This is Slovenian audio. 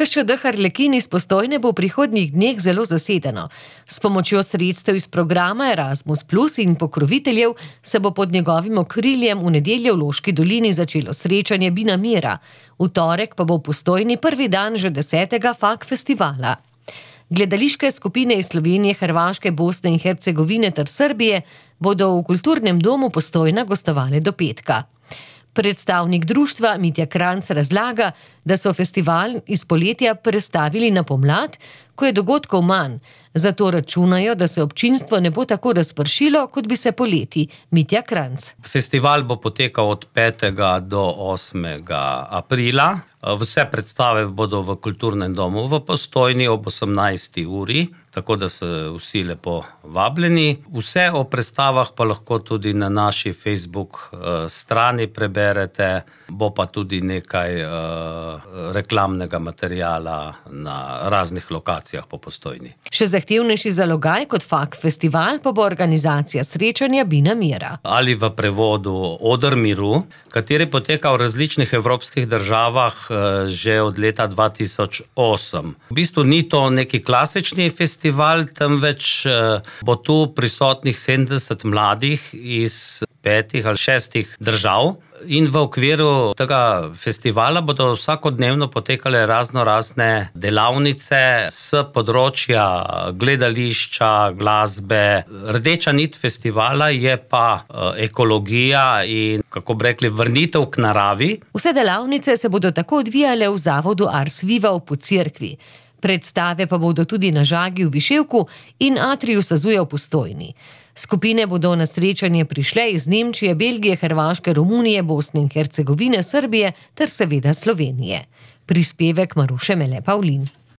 KŠD Harlekin iz Postojne bo v prihodnjih dneh zelo zasedeno. S pomočjo sredstev iz programa Erasmus Plus in pokroviteljev se bo pod njegovim okriljem v nedeljo v Loški dolini začelo srečanje Bina Mira. V torek pa bo v Postojni prvi dan že 10. FAK festivala. Gledališke skupine iz Slovenije, Hrvaške, Bosne in Hercegovine ter Srbije bodo v Kulturnem domu Postojna gostovale do petka. Predstavnik društva Mitja Kranjc razlaga, da so festival iz poletja prestavili na pomlad, ko je dogodkov manj. Zato računajo, da se občinstvo ne bo tako razpršilo, kot bi se poleti. Mitja Kranjc. Festival bo potekal od 5. do 8. aprila. Vse predstave bodo v Kulturnem domu v Postojni ob 18. uri, tako da so vsi lepo vabljeni. Vse o predstavah pa lahko tudi na naši Facebook strani preberete, bo pa tudi nekaj reklamnega materiala na raznih lokacijah po Postojni. Še zahtevnejši zalogaj kot FAK festival pa bo organizacija srečanja Bina Mira. Ali v prevodu Oder miru, kateri poteka v različnih evropskih državah že od leta 2008. V bistvu ni to neki klasični festival, temveč bo tu prisotnih 70 mladih iz 5 ali 6 držav. In v okviru tega festivala bodo vsakodnevno potekale razne delavnice s področja gledališča, glasbe. Rdeča nit festivala je pa ekologija in, kako bi rekli, vrnitev k naravi. Vse delavnice se bodo tako odvijale v zavodu Ars Viva v Podcerkvi. Predstave pa bodo tudi na Žagi v Viševku in Atriju Sazuja v Postojni. Skupine bodo na srečanje prišle iz Nemčije, Belgije, Hrvaške, Romunije, Bosne in Hercegovine, Srbije ter seveda Slovenije. Prispevek Maruše Mele Pavlin.